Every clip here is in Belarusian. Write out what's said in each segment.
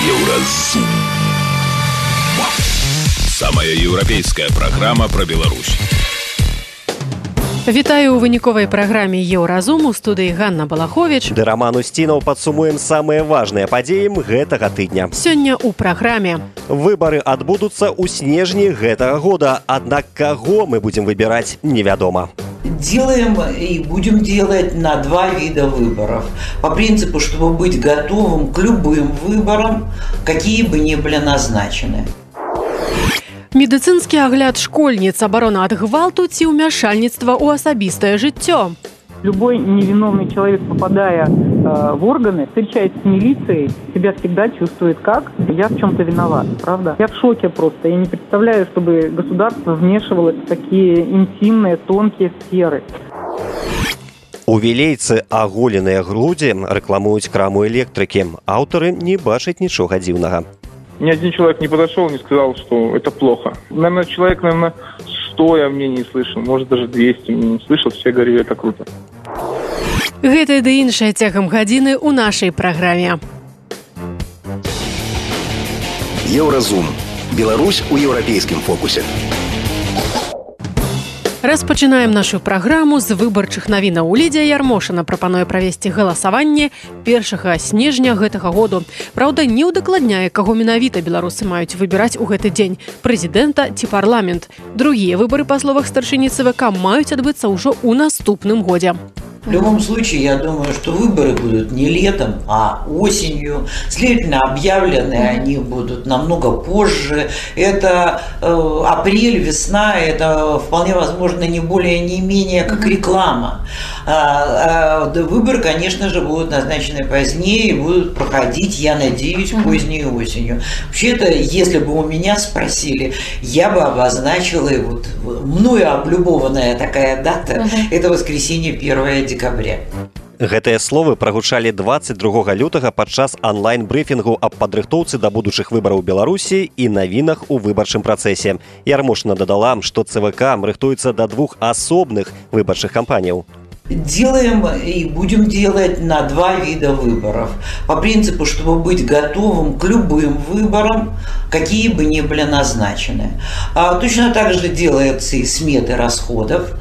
Еўразум. Самая еўрапейская праграма пра Беларусь. Вітаю ў выніковай праграме Еўразум. У студыі Ганна Балахович ды Роман Устінаў. Падсумуем самыя важныя падзеі гэтага тыдня. Сёння ў праграме. Выбары адбудуцца ў снежні гэтага года, аднак каго мы будем выбирать, невядома. Делаем и будем делать на два вида выборов. По принципу, чтобы быть готовым к любым выборам, какие бы ни были назначены. Медыцынскі агляд школьніц, абарона ад гвалту ці ўмяшальніцтва ў асабістае жыццё. Любой невиновный человек, попадая в органы, встречаясь с милицией, себя всегда чувствует как «я в чем-то виноват», правда? Я в шоке просто. Я не представляю, чтобы государство вмешивалось в такие интимные, тонкие сферы. У вілейцы аголеныя грудзі рэкламуюць краму электрыкі. Аўтары не бачаць нічога дзіўнага. Ни один человек не подошел, не сказал, что это плохо. Наверное, человек, 100 я мнений слышал, может, даже 200 мнений слышал, все говорили, это круто. Гэта ды іншае цягам гадзіны ў нашай праграме. Еўразум. Беларусь у еўрапейскім фокусе. Распачынаем нашу праграму з выбарчых навінаў. Лідзія Ярмошына прапануе правесці галасаванне 1 снежня гэтага году. Праўда, не ўдакладняе, каго менавіта беларусы маюць выбіраць у гэты дзень – прэзідэнта ці парламент. Другія выбары, па словах старшыні ЦВК, маюць адбыцца ўжо ў наступным годзе. В любом случае, я думаю, что выборы будут не летом, а осенью. Следовательно, объявлены они будут намного позже. Это апрель, весна, это вполне возможно не более, не менее, как реклама. Выборы, конечно же, будут назначены позднее и будут проходить, я надеюсь, поздней осенью. Вообще-то, если бы у меня спросили, я бы обозначила, вот мною облюбованная такая дата, это воскресенье 1 декабря. Гэтыя словы прагучалі 22 лютага падчас онлайн-брыфінгу аб падрыхтоўцы да будучых выбараў Беларусі і навінах у выбарчым працэсе. Ярмошына дадала, што ЦВК рыхтуецца да 2 асобных выбарчых кампаніяў. Делаем и будем делать на два вида выборов. По принципу, чтобы быть готовым к любым выборам, какие бы ни были назначены. Точно так же делаются и сметы расходов.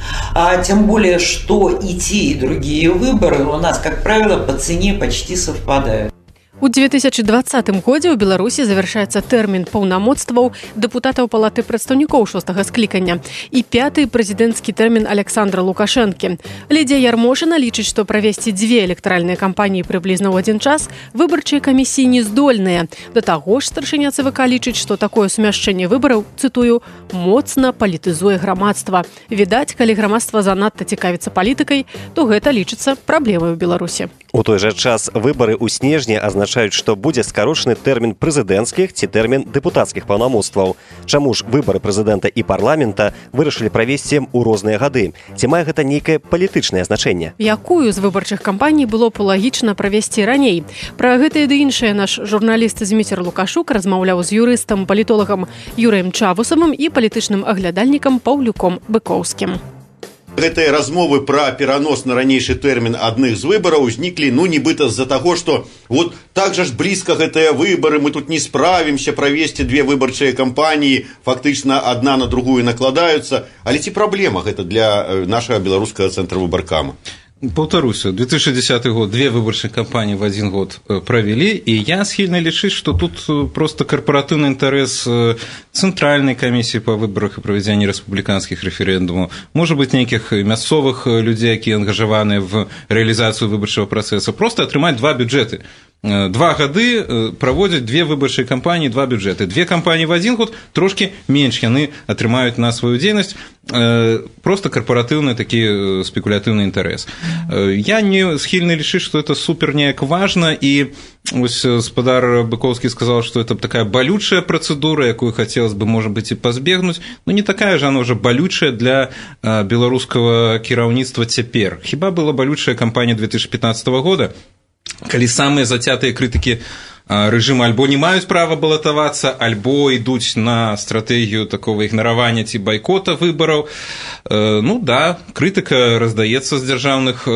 Тем более, что и те, и другие выборы у нас, как правило, по цене почти совпадают. У 2020 годзе ў Беларусі завяршаецца тэрмін паўнамоцтваў дэпутатаў палаты прадстаўнікоў 6-га склікання і 5-й прэзідэнцкі тэрмін Александра Лукашэнкі. Лідзія Ярмошына лічыць, што правесці 2 электаральныя кампаніі прыблізна ў адзін час выбарчыя камісіі не здольныя. Да таго ж старшыня ЦВК лічыць, што такое сумяшчэнне выбараў, цытую, моцна палітызуе грамадства. Відаць, калі грамадства занадта цікавіцца палітыкай, то гэта лічыцца праблемай у Беларусі. У той жа час выбары ў снежні азначаюць, што будзе скарочаны тэрмін прэзідэнцкіх ці тэрмін дэпутацкіх паўнамоцтваў. Чаму ж выбары прэзідэнта і парламента вырашылі правесці ў розныя гады? Ці мае гэта нейкае палітычнае значэнне? Якую з выбарчых кампаній было б лагічна правесці раней? Пра гэтае ды іншае наш журналіст Зміцер Лукашук размаўляў з юрыстам, палітолагам Юрыем Чавусавым і палітычным аглядальнікам Паўлюком Быкоўскім. Гэтыя размовы пра перанос на ранейшы тэрмін адных з выбараў узніклі, нібыта з-за таго, што вот так жа ж блізка гэтыя выбары, мы тут не справімся правесці 2 выбарчыя кампаніі, фактычна адна на другую накладаюцца. Але ці праблема гэта для нашага беларускага цэнтра выбаркама? Повторюся, 2010 год 2 выборчых кампании в один год провели, и я схильно лічыць, что тут просто корпоративный интерес Центральной комиссии по выборах и проведению республиканских референдумов, может быть, неких мясцовых людей, которые ангажированы в реализацию выборчего процесса, просто атрымаць 2 бюджеты. 2 гады проводят 2 выборчыя кампании, 2 бюджеты. 2 кампании в 1 год трошки менш яны атрымаюць на свою дзейнасць, просто корпоративный такі спекулятивный интерес. Я не схильны лічыць, что это супер неяк важно, и ось гаспадар Быкоўскі сказал, что это такая болючая процедура, якую хотелось бы, может быть, и позбегнуть, но не такая же она уже болючая для беларускага кіраўніцтва цяпер. Хіба была болючая кампания 2015 года, калі самыя зацятыя крытыкі рэжымы альбо не маюць права балатавацца, альбо ідуць на стратэгію такого ігнаравання ці байкота выбараў. Ну да, крытыка раздаецца з дзяржаўнага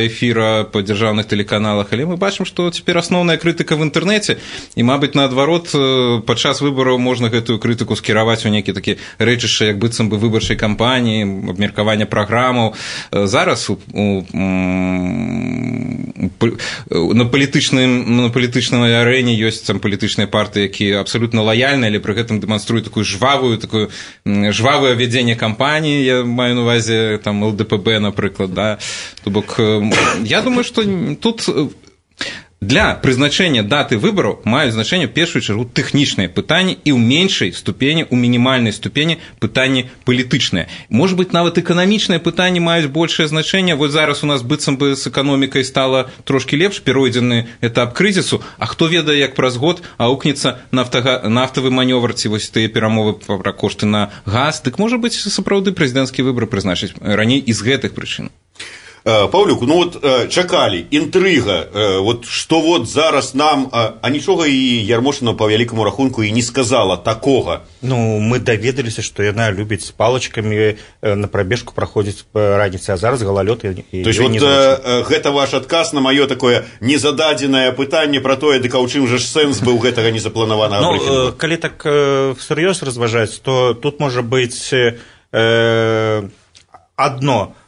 эфіра па дзяржаўных тэлеканалах, але мы бачым, што цяпер асноўная крытыка в інтэрнэце, і, мабыць, наадварот, падчас выбараў можна гэтую крытыку скіраваць у нейкі такі рэчышча, як быццам бы выбарчай кампаніі, абмеркавання праграмаў. Зараз на палітычнай арэне ёсць там палітычныя партыі, якія абсалютна лаяльныя, але пры гэтым дэманструюць такое жвавае вядзенне кампаніі, я маю на увазе там ЛДПБ, напрыклад, да. То бок, я думаю, што тут для прызначэння даты выбараў маюць значэнне ў першую чаргу тэхнічныя пытанні і ў меншай ступені, у мінімальнай ступені пытанні палітычныя. Можа быць, нават эканамічныя пытанні маюць большае значэнне. Вось зараз у нас быццам бы з эканомікай стала трошкі лепш, перайдзены этап крызісу, а хто ведае, як праз год аукнецца нафтавы манёвр ці вось тыя перамовы пра кошты на газ. Дык, можа быць, сапраўды прэзідэнцкія выбары прызначыць раней і з гэтых прычын. Паўлюк, ну вот чакалі, інтрыга, вот што вот зараз нам, а нічога і Ярмошына па вялікаму рахунку і не сказала такога. Ну, мы даведаліся, што яна любіць з палачкамі на прабежку праходзіць раніцай, а зараз галалёд і то есть вот гэта ваш адказ на маё такое незададзенае пытанне пра тое, дык а ў чым жа ж сэнс быў гэтага незапланаванага брыфінгу? Калі так сур'ёз разважаць, то тут можа быць адно.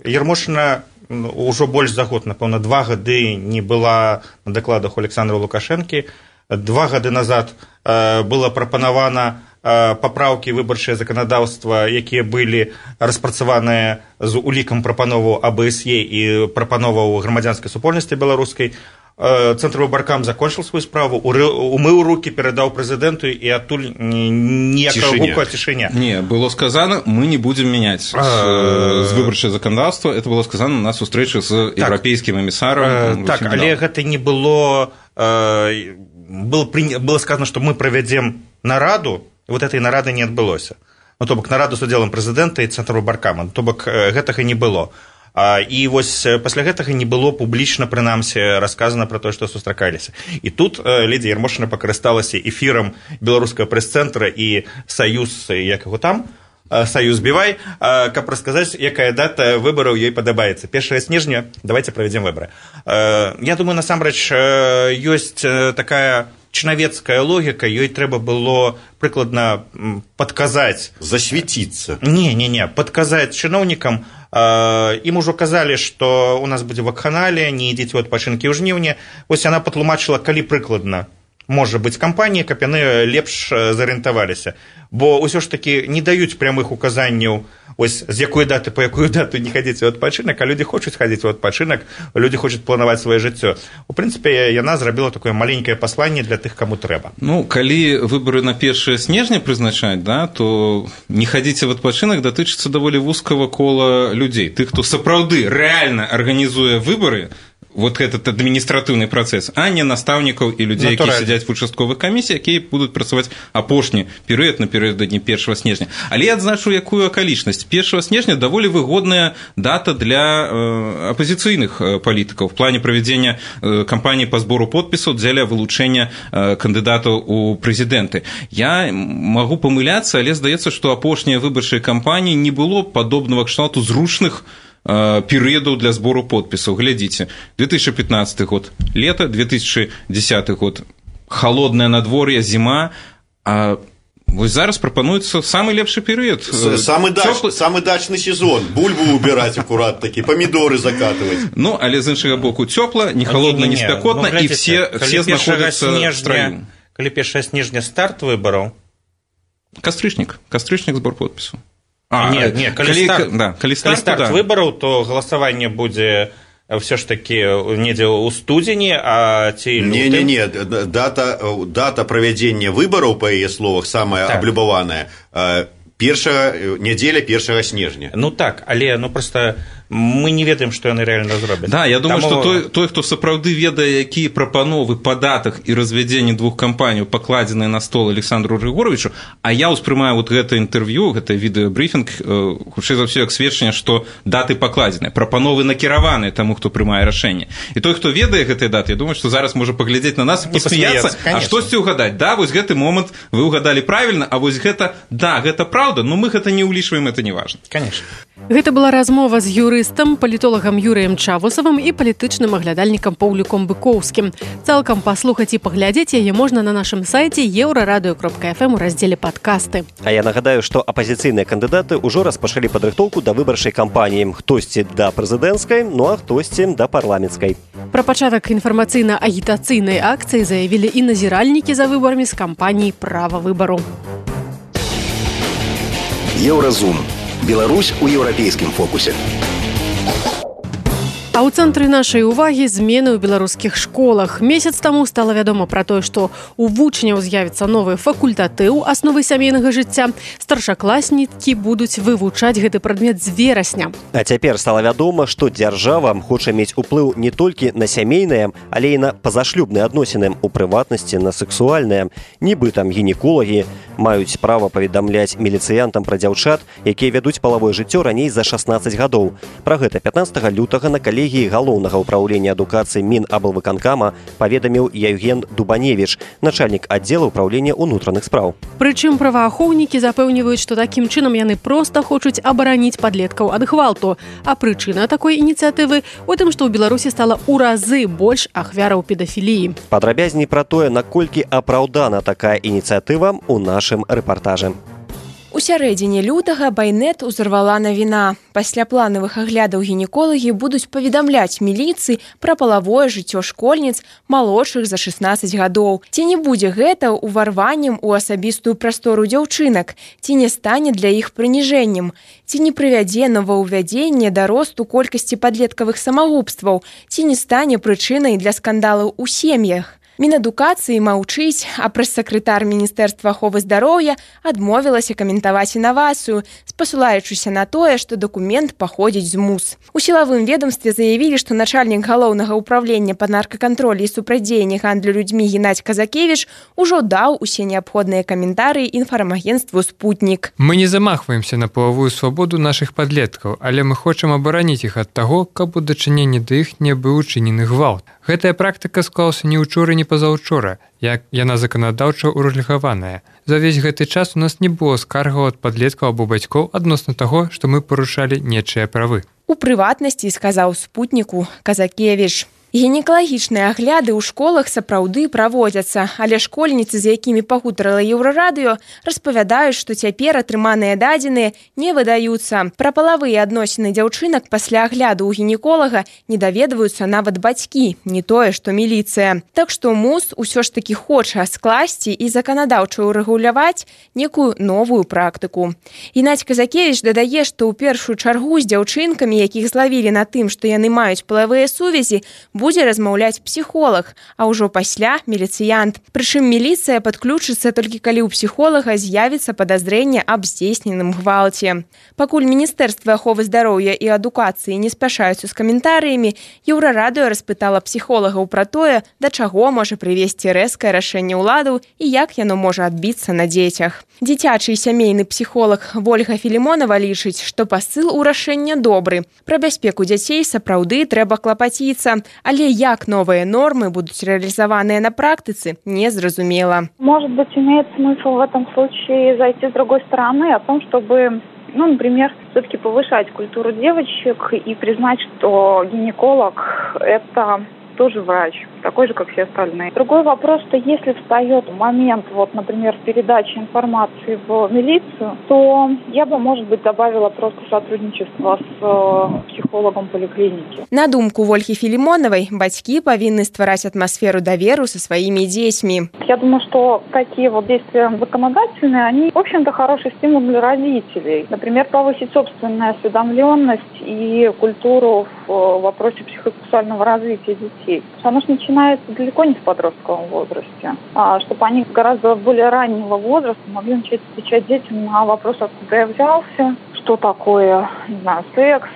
Ярмошына ўжо больш за год, напэўна, 2 гады не была на дакладах у Александра Лукашэнкі. 2 гады назад было прапанавана папраўкі выбарчае заканадаўства, якія былі распрацаваныя з улікам прапановаў АБСЕ і прапановаў грамадзянскай супольнасці беларускай. Цэнтр выбаркам закончил свою справу, умыў руки, передаў прэзідэнту, і адтуль ніякага гуку, а цішыня. Не, было сказано, мы не будем менять з выбарчае заканадаўства, это было сказано на сустрэчы з еўрапейскім эмісарам. Так, але гэта не было, было сказано, что мы провядзем нараду, і вот этой нарады не адбылося. Ну, то бок нараду з удзелам прэзідэнта і цэнтру выбаркама, то бок гэтага не было. І вось пасля гэтага не было публічна, прынамсі, расказана пра тое, што сустракаліся. І тут ледзі Ярмошына пакарысталася эфірам беларускага прэс-цэнтра і саюз, як яго там, саюз Бівай, каб расказаць, якая дата выбараў ёй падабаецца. 1 снежня, давайте правядзем выбары. Я думаю, насамрэч, ёсць такая чынавецкая логіка, ёй трэба было прыкладна падказаць. Засвяціцца. Не, падказаць чыноўнікам. Ім ужо казалі, што у нас будзе вакханалія, не ідзіце ў адпачынкі ў жніўні. Вось яна патлумачыла, калі прыкладна можа быць кампанія, каб яны лепш зарыентаваліся. Бо ўсё ж такі не даюць прямых указанняў, ось з якой даты па якую дату не хадзіць у адпачынак, а людзі хочуць хадзіць у адпачынак, людзі хочуць планаваць сваё жыццё. У прынцыпе, яна зрабіла такое маленькае пасланне для тых, каму трэба. Ну, калі выбары на 1 снежня прызначаць, да, то не хадзіце в адпачынак датычыцца даволі вузкага кола людзей. Тых, хто сапраўды рэальна арганізуе выбары, вот этот адміністратыўны працэс, а не настаўнікаў і людзей, якія сядзяць в участковых камісіях, якія будуць працаваць апошні перыяд напярэдадні 1 снежня. Але я адзначу якую акалічнасць. 1 снежня даволі выгодная дата для апазіцыйных палітыкаў в плане правядзення кампаніі па збору подпісаў дзеля вылучэння кандыдатаў у прэзідэнты. Я магу памыляцца, але здаецца, што апошнія выбарчыя кампаніі не было падобнага кшталту зручных перыядаў для збору подпісаў. Глядзіце, 2015 год лето, 2010 год холодное надвор'е, зіма, а вось зараз прапануецца самы лепшы перыяд. Самы дачны сезон, бульбу убіраць акурат такі, памідоры закатваць. Ну, але з іншага боку цёпла, не холодна, не спякотна, і все знаходзяцца в страю. Калі 1 снежня старт выбараў? Кастрычнік збор подпісу. Калі старт выбараў, то галасаванне будзе ўсё ж такі недзе ў студзені, а ці лютым? Не, дата правядзення выбараў, па яе словах, самая аблюбаваная, першая нядзеля 1 снежня. Ну так, але проста мы не ведаем, што яны рэальна зробяць. Да, я думаю, што той, хто сапраўды ведае, якія прапановы па датах і развядзенні двух кампаній пакладзеныя на стол Александру Григоровичу, а я ўспрымаю вот гэта інтэрв'ю, гэта відэабрыфінг, хутчэй за ўсё як сведчанне, што даты пакладзеныя, прапановы накіраваныя таму, хто прымае рашэнне. І той, хто ведае гэтыя даты, я думаю, што зараз можа паглядзець на нас і пасмяяцца, а штосьці ўгадаць. Да, вось гэты момант вы ўгадалі правільна, а вось гэта, да, гэта праўда, но мы гэта не ўлічваем, это не важна. Конечно. Гэта была размова з юрыстам, палітолагам Юрыем Чавусавым і палітычным аглядальнікам Паўліком Быкоўскім. Цалкам паслухаць і паглядзець яе можна на нашым сайце euraradio.fm у раздзеле «Падкасты». А я нагадаю, што апазіцыйныя кандыдаты ўжо распачалі падрыхтоўку да выбарчай кампаніі. Хтосьці да прэзідэнцкай, ну а хтосьці да парламенцкай. Пра пачатак інфармацыйна-агітацыйнай акцыі заявілі і назіральнікі за выбарамі з кампаніі «Права выбару». Еўразум. Беларусь у еўрапейскім фокусе. А ў цэнтры нашай увагі змены ў беларускіх школах. Месяц таму стала вядома пра тое, што у вучняў з'явіцца новы факультатыў асновы сямейнага жыцця. Старшакласнікі будуць вывучаць гэты прадмет з верасня. А цяпер стала вядома, што дзяржава хоча мець уплыў не толькі на сямейныя, але і на пазашлюбныя адносіны, у прыватнасці на сексуальныя. Нібы там гінеколагі маюць права паведамляць міліцыянтам пра дзяўчат, якія вядуць палавое жыццё раней за 16 гадоў. Пра гэта 15 лютага на калегіі галоўнага ўпраўлення адукацыі Мінаблвыканкама паведаміў Яўген Дубаневіч, начальнік аддзела ўпраўлення ўнутраных спраў. Прычым праваахоўнікі запэўніваюць, што такім чынам яны проста хочуць абараніць падлеткаў ад гвалту. А прычына такой ініцыятывы у тым, што ў Беларусі стала ў разы больш ахвяраў педафіліі. Падрабязней пра тое, наколькі апраўдана такая ініцыятыва ў нашым рэпартажы. У сярэдзіне лютага байнет узарвала навіна. Пасля планавых аглядаў гінеколагі будуць паведамляць міліцыі пра палавое жыццё школьніц малодшых за 16 гадоў. Ці не будзе гэта ўварваннем у асабістую прастору дзяўчынак? Ці не стане для іх прыніжэннем? Ці не прывядзе новаўвядзенне да росту колькасці падлеткавых самагубстваў? Ці не стане прычынай для скандалаў у сем'ях? Мінадукацыі маўчыць, а прэс-сакратар Міністэрства аховы здароўя адмовілася каментаваць інавацыю, спасылаючыся на тое, што дакумент паходзіць з МУС. У сілавым ведомстве заявілі, што начальнік галоўнага ўправлення па наркакантролі і супрацьдзеянні гандлю людзьмі Геннадзь Казакевіч ужо даў усе неабходныя каментарыі інфармагенцтву «Спутнік». Мы не замахваемся на палавую свабоду нашых падлеткаў, але мы хочам абараніць іх ад таго, каб у дачыненні да іх не быў учынены гвалт. Гэтая практыка склалася не ўчора, не пазаўчора, як яна заканадаўча ўрэгуляваная. За ўвесь гэты час у нас не было скаргаў ад падлеткаў або бацькоў адносна таго, што мы парушалі нечыя правы. У прыватнасці сказаў «Спутніку» Казакевіч. Гінекалагічныя агляды ў школах сапраўды праводзяцца, але школьніцы, з якімі пагутарыла Еўрарадыё, распавядаюць, што цяпер атрыманыя дадзеныя не выдаюцца. Пра палавыя адносіны дзяўчынак пасля агляду ў гінеколага не даведваюцца нават бацькі, не тое, што міліцыя. Так што МУС усё ж такі хоча скласці і заканадаўча ўрэгуляваць некую новую практыку. Геннадзь Казакевіч дадае, што ў першую чаргу з дзяўчынкамі, якіх злавілі на тым, што яны маюць палавыя сувязі, будзе размаўляць псіхолаг, а ўжо пасля міліцыянт. Прычым міліцыя падключыцца толькі калі ў псіхолага з'явіцца падазрэнне аб здзейсненым гвалце. Пакуль Міністэрства аховы здароўя і адукацыі не спяшаюцца з каментарыямі, Еўрарадыё распытала псіхолагаў пра тое, да чаго можа прывесці рэзкае рашэнне ўладаў і як яно можа адбіцца на дзецях. Дзіцячы і сямейны псіхолог Вольга Філімонава лічыць, што пасыл у рашэння добры. Пра бяспеку дзяцей сапраўды трэба клапаціцца, але як новые нормы будут реализованы на практике, незразумело. Может быть, имеет смысл в этом случае зайти с другой стороны, о том, чтобы, например, все-таки повышать культуру девочек и признать, что гинеколог – это тоже врач, такой же, как все остальные. Другой вопрос, что если встает момент, например, передачи информации в милицию, то я бы, может быть, добавила просто сотрудничество с психологом поликлиники. На думку Вольги Филимоновой, бацькі павінны ствараць атмосферу доверу со своими детьми. Я думаю, что такие действия законодательные, они, в общем-то, хороший стимул для родителей. Например, повысить собственную осведомленность и культуру в вопросе психосексуального развития детей. Оно же начинается далеко не в подростковом возрасте, чтобы они гораздо более раннего возраста могли начать отвечать детям на вопрос, откуда я взялся, что такое, секс,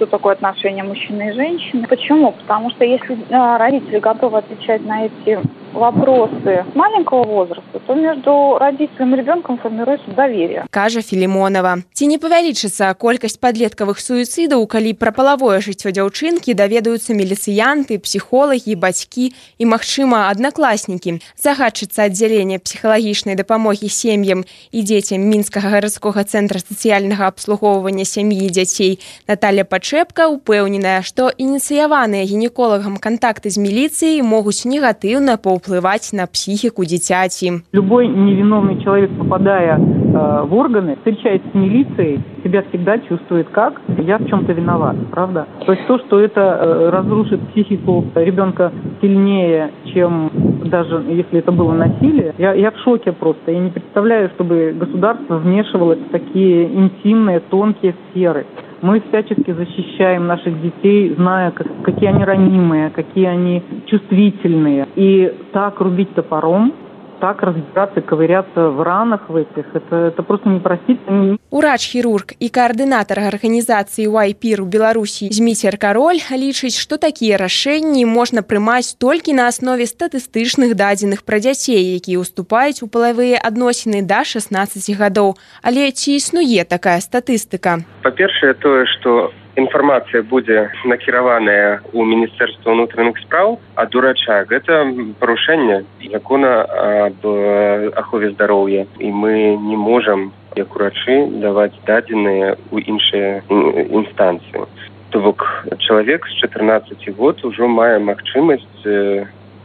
что такое отношение мужчины и женщины. Почему? Потому что если родители готовы отвечать на эти вопросы с маленького возраста, то между родителем и ребенком формируется доверие. Кажа Филимонова. Ці не павялічыцца колькасць падлеткавых суіцыдаў, калі пра палавое жыццё дзяўчынкі даведаюцца міліцыянты, псіхолагі, бацькі і, магчыма, аднакласнікі. Загадчыца аддзялення псіхалагічнай дапамогі сем'ям і дзецям Мінскага гарадскога цэнтра сацыяльнага абслугоўвання сям'і і дзяцей Наталья Пачэпка упэўненая, што ініцыяваныя гінеколагам кантакты з міліцыяй могуць негатыўна паўплываць на психику дзіцяці. Любой невиновный человек, попадая в органы, встречаясь с милицией, себя всегда чувствует как «я в чем-то виноват», правда? То есть то, что это разрушит психику ребенка сильнее, чем даже если это было насилие, я в шоке просто. Я не представляю, чтобы государство вмешивалось в такие интимные, тонкие сферы. Мы всячески защищаем наших детей, зная, какие они ранимые, какие они чувствительные. И так рубить топором, так разбираться, ковыряться в ранах в этих, это просто непростительно. Урач-хірург і каардынатар арганізацыі YPIR у Беларусі Зміцер Кароль лічыць, што такія рашэнні можна прымаць толькі на аснове статыстычных дадзеных пра дзяцей, якія ўступаюць у палавыя адносіны да 16 гадоў. Але ці існуе такая статыстыка? Па-першае, тое, што інфармацыя будзе накіраваная ў Міністэрства ўнутраных спраў ад урача. Гэта парушэнне закона аб ахове здароўя. І мы не можам, як урачы, даваць дадзеныя ў іншыя інстанцыі. То бок чалавек з 14 год ужо мае магчымасць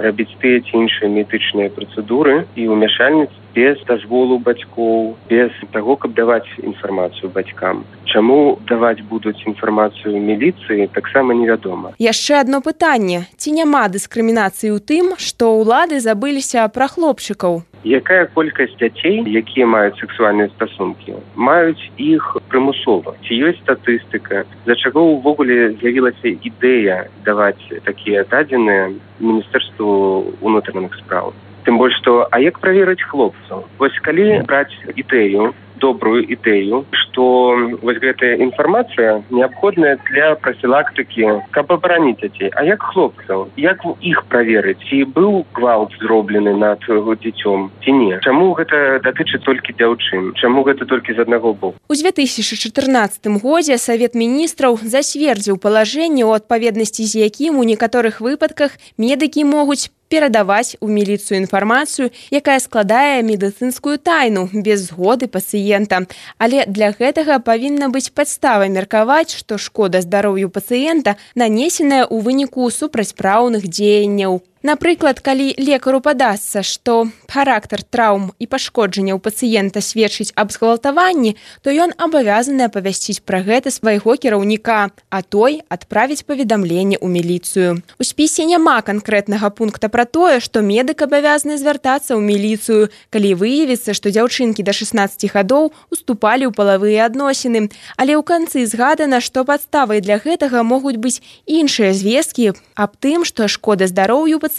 рабіць тыя ці іншыя медычныя працэдуры і ўмяшальніцтва без дазволу бацькоў, без таго, каб даваць інфармацыю бацькам. Чаму даваць будуць інфармацыю міліцыі, таксама невядома. Яшчэ адно пытанне. Ці няма дыскрымінацыі ў тым, што ўлады забыліся пра хлопчыкаў? Якая колькасць дзяцей, якія маюць сексуальныя стасункі, маюць іх прымусова? Ці ёсць статыстыка? Для чаго ўвогуле з'явілася ідэя даваць такія дадзеныя Міністэрству ўнутраных спраў? Тым больш, што, а як праверыць хлопцаў? Вось калі браць ідэю, добрую ідэю, што вось гэтая інфармацыя неабходная для прафілактыкі, каб абараніць дзяцей. А як хлопцаў? Як іх праверыць? Ці быў гвалт зроблены над дзіцём, ці не? Чаму гэта датычыць толькі дзяўчын? Чаму гэта толькі з аднаго боку? У 2014 годзе Савет міністраў зацвердзіў палажэнне, у адпаведнасці з якім у некаторых выпадках медыкі могуць перадаваць у міліцыю інфармацыю, якая складае медыцынскую тайну без згоды пацыента. Але для гэтага павінна быць падстава меркаваць, што шкода здароўю пацыента нанесеная ў выніку супрацьпраўных дзеянняў. Напрыклад, калі лекару падасца, што характар траўм і пашкоджання ў пацыента сведчыць аб згвалтаванні, то ён абавязаны апавясціць пра гэта свайго кіраўніка, а той адправіць паведамленне ў міліцыю. У спісе няма канкрэтнага пункта пра тое, што медык абавязаны звяртацца ў міліцыю, калі выявіцца, што дзяўчынкі да 16 гадоў уступалі ў палавыя адносіны. Але ў канцы згадана, што падставай для гэтага могуць быць іншыя звесткі аб тым, што шкода здароўю пацыента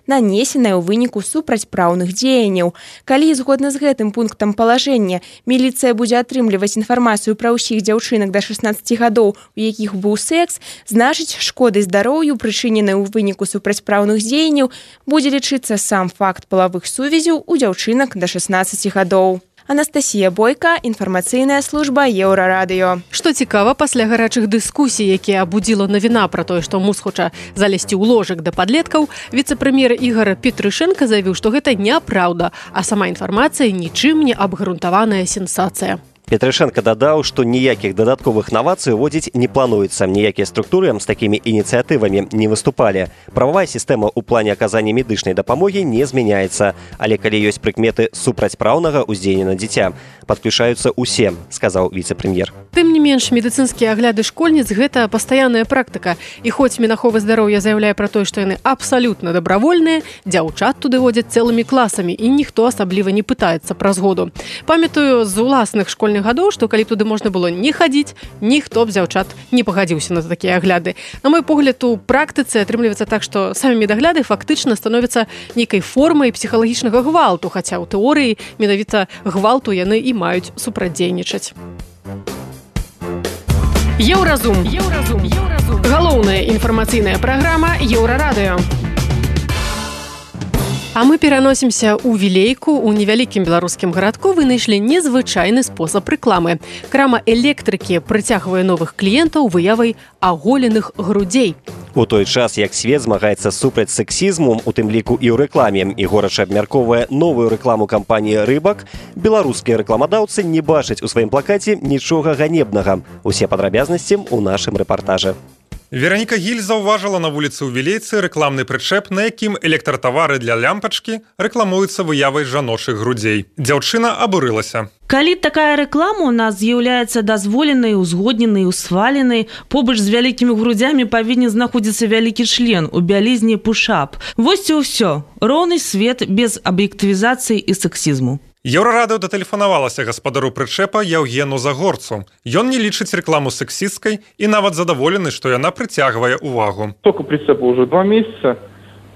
нанесеная ў выніку супрацьпраўных дзеянняў. Калі, згодна з гэтым пунктам палажэння, міліцыя будзе атрымліваць інфармацыю пра ўсіх дзяўчынак да 16 гадоў, у якіх быў секс, значыць, шкодай здароўю, прычыненай у выніку супрацьпраўных дзеянняў, будзе лічыцца сам факт палавых сувязяў у дзяўчынак да 16 гадоў. Анастасія Бойка, інфармацыйная служба Еўрарадыё. Што цікава, пасля гарачых дыскусій, якія абудзіла навіна пра тое, што муз хоча залезці ў ложак да падлеткаў, віцэ-прэм'ер Ігор Петрышэнка заявіў, што гэта няпраўда, а сама інфармацыя нічым не абгрунтаваная сенсацыя. Петрышэнка дадаў, што ніякіх дадатковых навацый уводзіць не плануецца. Ніякія структуры з такімі ініцыятывамі не выступалі. Прававая сістэма ў плане аказання медычнай дапамогі не змяняецца. Але калі ёсць прыкметы супрацьпраўнага ўздзеяння на дзіця, падключаюцца ўсе, сказаў віцэ-прэм'ер. Тым не менш, медыцынскія агляды школьніц – гэта пастаянная практыка. І хоць Мінахова здароўя заяўляе пра тое, што яны абсалютна дабравольныя, дзяўчат туды водзяць цэлымі класамі, і ніхто асабліва не пытаецца пра згоду. Памятаю з уласных школьных гадоў, што калі туды можна было не хадзіць, ніхто б дзяўчат не пагадзіўся на такія агляды. На мой погляд, у практыцы атрымліваецца так, што самі медагляды фактычна становяцца нейкай формай псіхалагічнага гвалту, хаця ў тэорыі менавіта гвалту яны і маюць супрацьдзейнічаць. Еўразум. Галоўная інфармацыйная праграма Еўрарадыё. А мы пераносімся ў Вілейку. У невялікім беларускім гарадку вынайшлі незвычайны спосаб рэкламы. Крама электрыкі прыцягвае новых кліентаў выявай аголеных грудзей. У той час, як свет змагаецца супраць сексізму, у тым ліку і ў рэкламе, і горача абмяркоўвае новую рэкламу кампаніі «Рыбак», беларускія рэкламадаўцы не бачаць у сваім плакаце нічога ганебнага. Усе падрабязнасці ў нашым рэпартажы. Вераніка Гіль заўважыла на вуліцы ў Вілейцы рэкламны прычэп, на якім электратавары для лямпачкі рэкламуюцца выявай жаночых грудзей. Дзяўчына абурылася. Калі такая рэклама у нас з'яўляецца дазволенай, узгодненай, усваленай, побач з вялікімі грудзямі павінен знаходзіцца вялікі член у бялізні пушап. Вось і ўсё. Роўны свет без аб'ектывізацыі і сексізму. Еўрарадыё датэлефанавалася гаспадару прычэпа Яўгену Загорцу. Ён не лічыць рэкламу сексісткай і нават задаволены, што яна прыцягвае увагу. Только прицепу уже 2 месяца.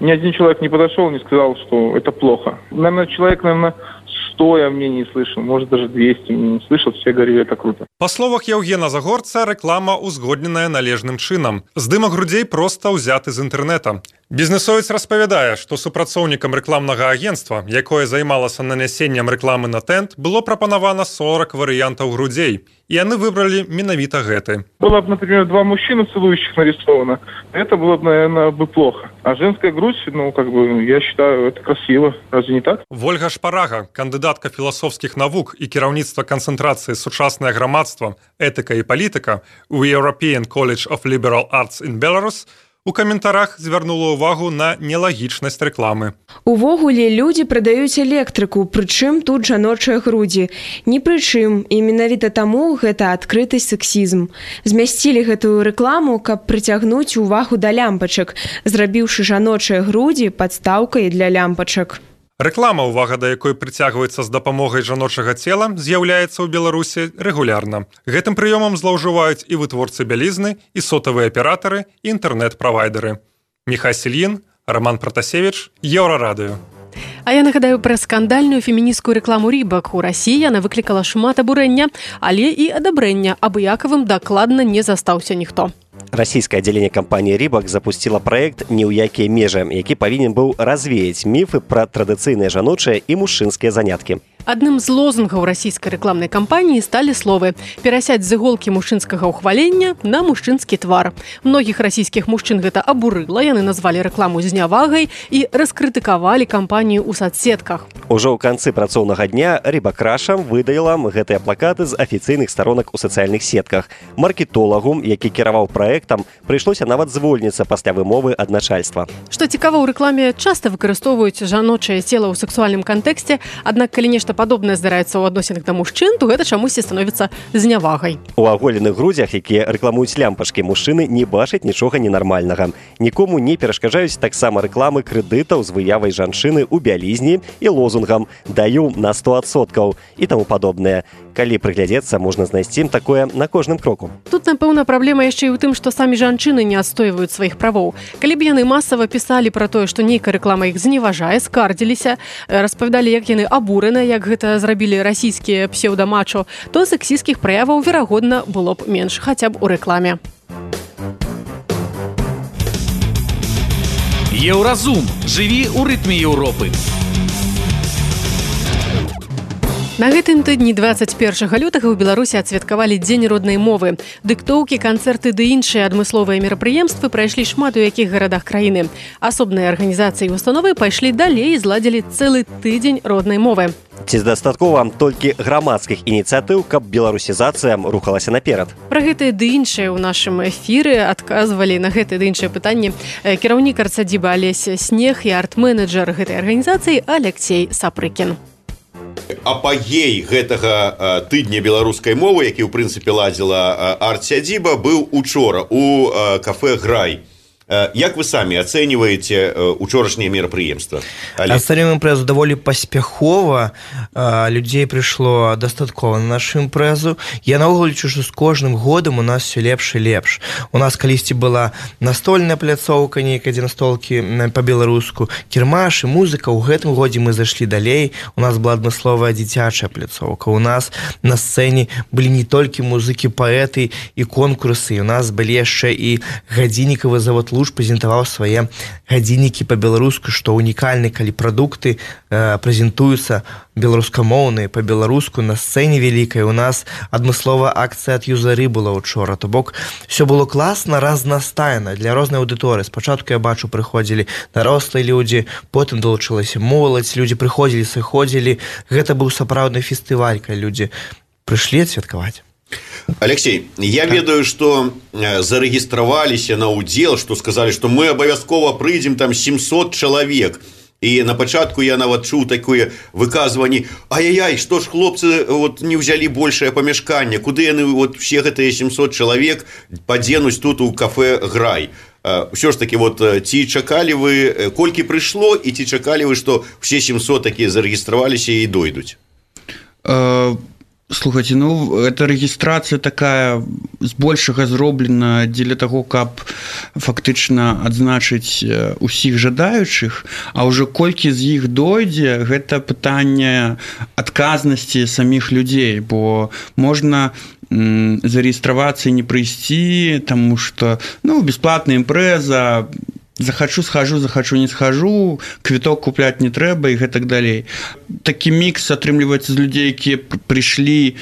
Ни один человек не подошел, не сказал, что это плохо. Наверное, человек, 100 я мнений слышал, может даже 200 мнений слышал, все говорили, это круто. Па словах Яўгена Загорца, рэклама узгодненая належным чынам. Здымак грудзей проста ўзяты з інтэрнэта. Бізнесовец распавядае, што супрацоўнікам рэкламнага агенцтва, якое займалася нанясеннем рэкламы на тент, было прапанавана 40 варыянтаў грудзей. И яны выбрали менавіта гэты. Было бы, например, 2 мужчины целующих нарисовано, это было бы, наверное, плохо. А женская грудь, я считаю, это красиво. Разве не так? Вольга Шпарага, кандыдатка філасофскіх навук і кіраўніцтва канцэнтрацыі «Сучаснае грамадства, этыка і палітыка» у European College of Liberal Arts in Belarus, у каментарах звярнула ўвагу на нелагічнасць рэкламы. Увогуле, людзі прадаюць электрыку, прычым тут жаночыя грудзі. Ні прычым, і менавіта таму гэта адкрыты сексізм. Змясцілі гэтую рэкламу, каб прыцягнуць увагу да лямпачак, зрабіўшы жаночыя грудзі падстаўкай для лямпачак. Рэклама, увага да якой прыцягваецца з дапамогай жаночага цела, з'яўляецца ў Беларусі рэгулярна. Гэтым прыёмам злоўжываюць і вытворцы бялізны, і сотавыя аператары, і інтэрнэт-правайдеры. Міхай Сельін, Роман Пратасевіч, Еўрарадыё. А я нагадаю пра скандальную фемінісцкую рэкламу «Рыбак». У Расіі яна выклікала шмат абурэння, але і адабрэння. Абыякавым дакладна не застаўся ніхто. Расійскае аддзяленне кампаніі «Рыбак» запусціла праект «Ні ў якія межы», які павінен быў развеяць міфы пра традыцыйныя жаночыя і мужчынскія заняткі. Адным з лозунгаў расійскай рэкламнай кампаніі сталі словы «перасяць з іголкі мужчынскага ўхвалення на мужчынскі твар». Многіх расійскіх мужчын гэта абурыла, яны назвалі рэкламу знявагай і раскрытыкавалі кампанію ў сацсетках. Ужо ў канцы працоўнага дня «Рыбак Раша» выдала гэтыя плакаты з афіцыйных старонак у сацыяльных сетках. Маркетолагу, які кіраваў праектам, прыйшлося нават звольніцца пасля вымовы ад начальства. Што цікава, у рэкламе часта выкарыстоўваюць жаночае цела ў сексуальным кантэксце, аднак калі нешта падобнае здараецца ў адносінах да мужчын, то гэта чамусьці становіцца знявагай. У аголеных грудзях, якія рэкламуюць лямпачкі, мужчыны не бачаць нічога ненармальнага. Нікому не перашкаджаюць таксама рэкламы крэдытаў з выявай жанчыны ў бялізні і лозунгам «даю на 100% і таму падобнае. Калі прыглядзецца, можна знайсці такое на кожным кроку. Тут, напэўна, праблема яшчэ і ў тым, што самі жанчыны не адстойваюць сваіх правоў. Калі б яны масава пісалі пра тое, што нейкая рэклама іх зневажае, скардзіліся, распавядалі, як яны абураны, як гэта зрабілі расійскія псеўдамачо, то сексісцкіх праяваў, верагодна, было б менш, хаця б у рэкламе. Еўразум. Жыві ў рытме Еўропы. На гэтым тыдні 21 лютага ў Беларусі адсвяткавалі Дзень роднай мовы. Дыктоўкі, канцэрты ды іншыя адмысловыя мерапрыемствы прайшлі шмат у якіх гарадах краіны. Асобныя арганізацыі і установы пайшлі далей і зладзілі цэлы тыдзень роднай мовы. Ці дастаткова толькі грамадскіх ініцыятыў, каб беларусізацыя рухалася наперад? Пра гэтыя ды іншыя ў нашым эфіры адказвалі на гэтыя ды іншыя пытанні кіраўнік арцадзіба Алесь Снег і арт-менеджер гэтай арганізацыі Алексей Сапрыкін. Апагей гэтага тыдня беларускай мовы, які ў прынцыпе ладзіла арт-сядзіба, быў учора у кафэ «Грай». Як вы самі ацэньваеце учорашняе мерапрыемства? Ацэньваем імпрэзу даволі паспяхова. Людзей прыйшло дастаткова на нашу імпрэзу. Я наогул лічу, што з кожным годам у нас все лепш і лепш. У нас калісьці была настольная пляцоўка нейкая, дзе настолкі па-беларуску, кірмаш і музыка. У гэтым годзе мы зайшлі далей. У нас была адмысловая дзіцячая пляцоўка. У нас на сцэне былі не толькі музыкі, паэты і конкурсы. У нас былі яшчэ і гадзіннікавы завод прэзентаваў свае гадзіннікі па-беларуску, што унікальны, калі прадукты прэзентуюцца беларускамоўныя па-беларуску на сцэне вялікай. У нас адмысловая акцыя ад юзары была учора. То бок все было класна, разнастайна для рознай аўдыторыі. Спачатку я бачу, прыходзілі дарослыя людзі, потым далучылася моладзь, людзі прыходзілі, сыходзілі. Гэта быў сапраўдны фестываль, калі людзі прыйшлі адсвяткаваць. Алексей, я ведаю, что зарегистрировались на удел, что сказали, что мы обовязково прыйдем там 700 человек. И на початку я нават чуў такое выказыванне: ай-яй-яй, что ж хлопцы вот не взяли большее помешканне, куды яны вот все гэтыя 700 человек падзенуць тут у кафе «Грай». Все ж таки, вот ці чакалі вы, колькі прыйшло, і ці чакалі вы, что все 700 такие зарегистрироваліся і дойдуць? Слухайте, ну, эта регистрация такая збольшага зроблена дзеля таго, каб фактычна адзначыць усіх жадаючых, а ўжо колькі з іх дойдзе, гэта пытанне адказнасці саміх людзей, бо можна зарегістравацца і не прыйсці, таму што, ну, бясплатная імпрэза, захачу схожу, захачу не схожу, квіток купляць не трэба і гэтак далей. Такі мікс атрымліваецца з людзей, якія прыйшлі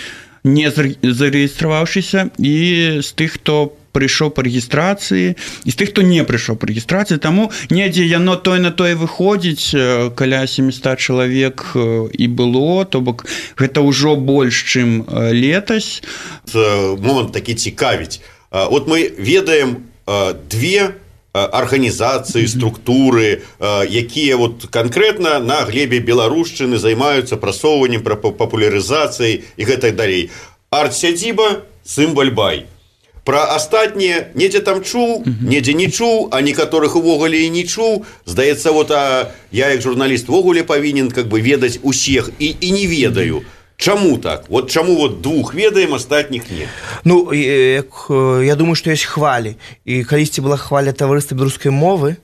не зарэгістраваўшыся, і з тых, хто прыйшоў па рэгістрацыі, і з тых, хто не прыйшоў па рэгістрацыі. Таму недзе яно тое на тое выходзіць, каля 700 чалавек і было, то бок гэта ўжо больш, чым летась. Момант такі цікавіць. Вот мы ведаем две организации, структуры, якія вот конкретно на глебе беларушчыны займаюцца прасоўваннем, папулярызацыяй і гэтак далей. Арт-сядзіба, Цымбаль-бай. Пра астатнія недзе там чуў, недзе не чуў, а некаторых увогуле і не чуў. Здаецца, вот я як журналіст увогуле павінен как бы ведаць усіх і не ведаю. Чаму так? Вот чаму вот двух ведаем, астатніх не? Ну, я думаю, што ёсць хвалі. І калісьці была хваля таварыства беларускай мовы,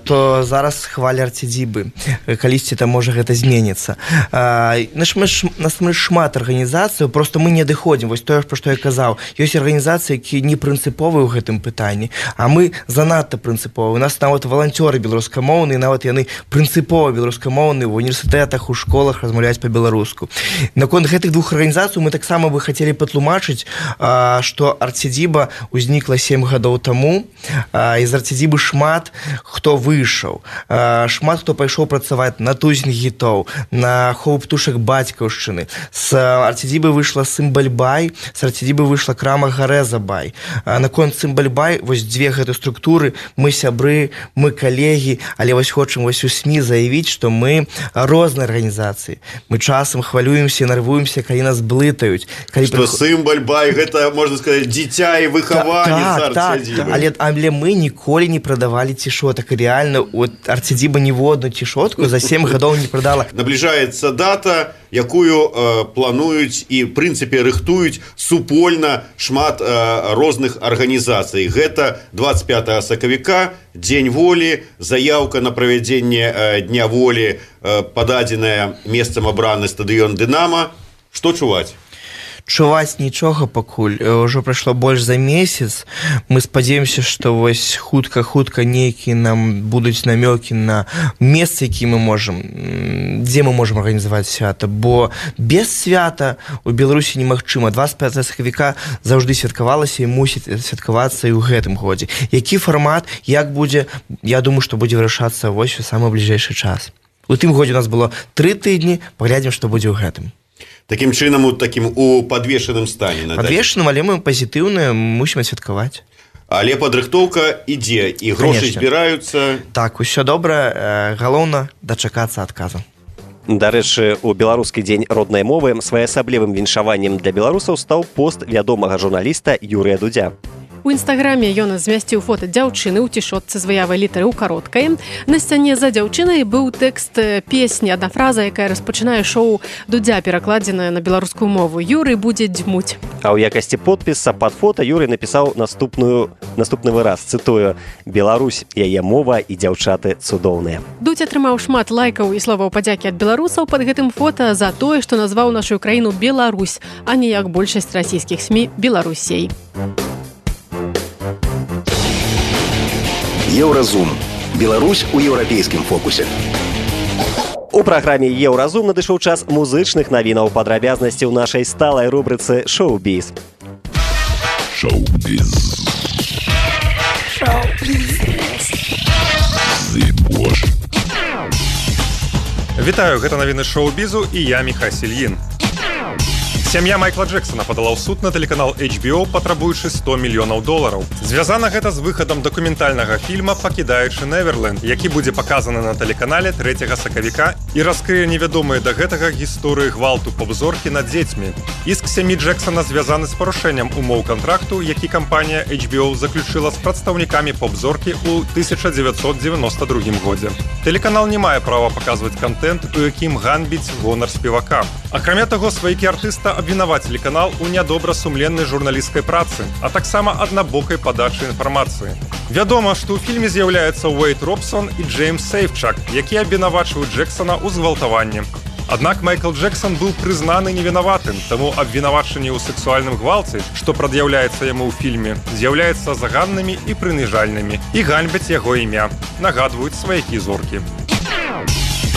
то зараз хваля арт-сядзібы. Калісьці там можа гэта зменіцца. Насамрэч шмат арганізацый, просто мы не адыходзім. Вось тое, пра што я казаў. Ёсць арганізацыі, якія не прынцыповыя ў гэтым пытанні, а мы занадта прынцыповыя. У нас нават валанцёры беларускамоўныя, нават яны прынцыпова беларускамоўныя, в універсітэтах, у школах размаўляюць па-беларуску. Наконт гэтых двух арганізацый мы таксама бы хацелі патлумачыць, што арт-сядзіба ўзнікла 7 гадоў таму, і з арт-сядзібы шмат хто выйшаў, шмат хто пайшоў працаваць на тузін гітоў, на хову птушак бацькаўшчыны. З арт-сядзібы выйшла Цымбаль-бай, з арт-сядзібы выйшла крама Гарэза-бай. Наконт Цымбаль-бай, вось дзве гэты структуры, мы сябры, мы калегі, але вось хочам вось у СМІ заявіць, што мы розныя арганізацыі. Мы часам хвалюемся, нервуемся, калі нас блытаюць. Што Цымбаль-бай, гэта, можна сказаць, дзіця і выхаванец арт-сядзібы. Але мы ніколі не прадавалі цішотак. Реально, от арт-сядзіба ніводную цішотку за 7 гадоў не прадала. Набліжаецца дата, якую плануюць і, в прынцыпе, рыхтуюць супольна шмат розных арганізацый. Гэта 25 сакавіка, Дзень волі, заяўка на правядзенне Дня волі, пададзеная месцам абраны стадыён «Дынама». Што чуваць? Чуваць нічога пакуль, ўжо прайшло больш за месяц. Мы спадзяёмся, што вось хутка нейкія нам будуць намёкі на месцы, які мы можам, дзе мы можам арганізаваць свята, бо без свята у Беларусі немагчыма. 25 сакавіка заўжды святкавалася і мусіць святкавацца і ў гэтым годзе. Які фармат, як будзе, я думаю, што будзе вырашацца вось у самы бліжэйшы час. У тым годзе у нас было 3 тыдні, паглядзім, што будзе ў гэтым. Таким чынам, у падвешаным стане. Падвешаным, але мы пазітыўныя, мусім адсвяткаваць. Але падрыхтоўка ідзе, і грошы збіраюцца. Так, усё добра, галоўна дачакацца адказу. Дарэчы, у беларускі дзень роднай мовы своеасаблівым віншаваннем для беларусаў стаў пост вядомага журналіста Юрыя Дудзя. У інстаграме ён змясціў фота дзяўчыны ў цішотцы з выявай літары ў кароткай. На сцяне за дзяўчынай быў тэкст песні, адна фраза, якая распачынае шоу Дудзя, перакладзеная на беларускую мову. Юрый будзе дзьмуць. А ў якасці подпіса пад фота Юрый напісаў наступны выраз, цытую: «Беларусь, яе мова і дзяўчаты цудоўныя». Дудзь атрымаў шмат лайкаў і словаў падзякі ад беларусаў пад гэтым фота за тое, што назваў нашу краіну Беларусь, а не як большасць расійскіх СМІ Беларусей. Еўразум. Беларусь у еўрапейскім фокусе. У праграме «Еўразум» надышоў час музычных навінаў, падрабязнасці ў нашай сталай рубрыцы «Шоу-біз». Шоу-біз. Вітаю, гэта навіны шоу-бізу і я Міхась Ільін. Сям'я Майкла Джексона падала ў суд на тэлеканал HBO, патрабуючы $100 мільёнаў. Звязана гэта з выхадам дакументальнага фільма «Пакідаючы Неверленд», які будзе паказаны на тэлеканале 3 сакавіка і раскрые невядомыя да гэтага гісторыі гвалту поп-зоркі над дзецьмі. Іск сям'і Джексона звязаны з парушэннем умоў кантракту, які кампанія HBO заключыла з прадстаўнікамі поп-зоркі ў 1992 годзе. Тэлеканал не мае права паказваць кантэнт, у якім ганьбіць гонар спевака. Акрамя таго, сваякі артыста абвінавацілі канал у нядобрасумленнай журналісцкай працы, а таксама аднабокай падачы інфармацыі. Вядома, што ў фільме з'яўляецца Уэйд Робсон і Джеймс Сейфчак, якія абвінавачваюць Джексона ў згвалтаванні. Аднак Майкл Джексон быў прызнаны невінаватым, таму абвінавачанні ў сэксуальным гвалце, што прад'яўляецца яму ў фільме, з'яўляецца заганнымі і прыніжальнымі і ганьбяць яго імя, нагадваюць сваякі зоркі.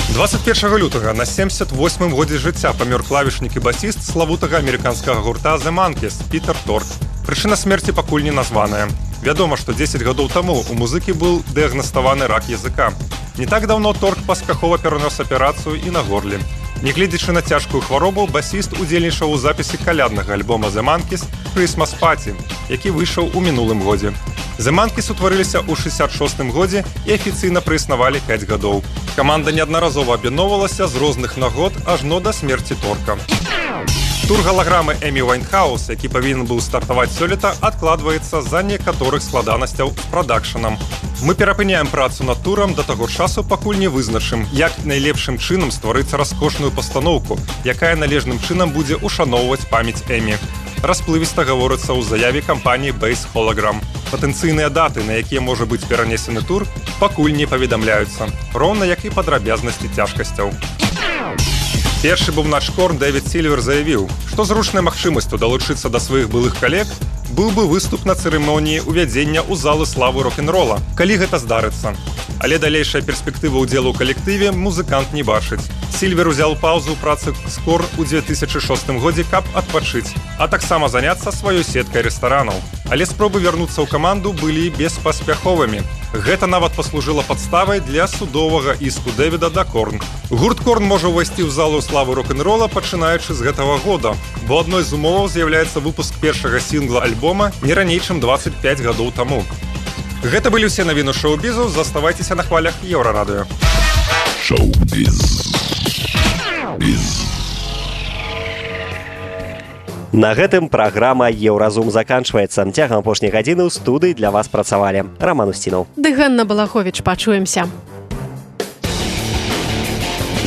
21 лютага на 78-м годзе жыцця памёр клавішнік і басіст славутага амерыканскага гурта The Monkees Пітер Торк. Прычына смерці пакуль не названая. Вядома, што 10 гадоў таму у музыкі быў дыягнаставаны рак языка. Не так даўно Торк паспяхова перанёс аперацыю і на горле. Нягледзячы на цяжкую хваробу, басіст удзельнічаў у запісе каляднага альбома The Monkees «Christmas Party», які выйшаў у мінулым годзе. The Monkees утварыліся ў 66-м годзе і афіцыйна праіснавалі 5 гадоў. Каманда неаднаразова аб'ядноўвалася з розных нагод ажно да смерці Торка. Тур галаграмы Эмі Вайнхаус, які павінен быў стартаваць сёлета, адкладваецца з-за некаторых складанасцяў з прадакшанам. Мы перапыняем працу над турам да таго часу, пакуль не вызначым, як найлепшым чынам стварыць раскошную пастаноўку, якая належным чынам будзе ушаноўваць памяць Эмі. Расплывіста гаворыцца ў заяве кампаніі Base Hologram. Патэнцыйныя даты, на якія можа быць перанесены тур, пакуль не паведамляюцца, роўна як і падрабязнасці цяжкасцяў. Першы бубнач Корн Дэвід Сільвер заявіў, што зручнай магчымасцю далучыцца да сваіх былых калег быў бы выступ на цырымоніі ўвядзення ў залу славы рок-н-рола, калі гэта здарыцца. Але далейшая перспектыва ўдзелу ў калектыве музыкант не бачыць. Сільвер узяў паўзу ў працы з Корн у 2006 годзе, каб адпачыць, а таксама заняцца сваёй сеткай рэстаранаў. Але спробы вярнуцца ў каманду былі беспаспяховымі. Гэта нават паслужыла падставай для судовага іску Дэвіда да Корн. Гурт Корн можа ўвайсці ў залу славы рок-н-рола, пачынаючы з гэтага года, бо адной з умоваў з'яўляецца выпуск першага сінгла альбома не раней, чым 25 гадоў таму. Гэта былі ўсе навіны шоу-бізу, заставайцеся на хвалях Еўрарадыё. Шоу-біз. На гэтым праграма «Еўразум» заканчваецца. Цягам апошняй гадзіны ў студыі для вас працавалі Роман Устінаў. Ды Ганна Балаховіч, пачуемся.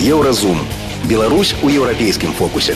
Еўразум. Беларусь у еўрапейскім фокусе.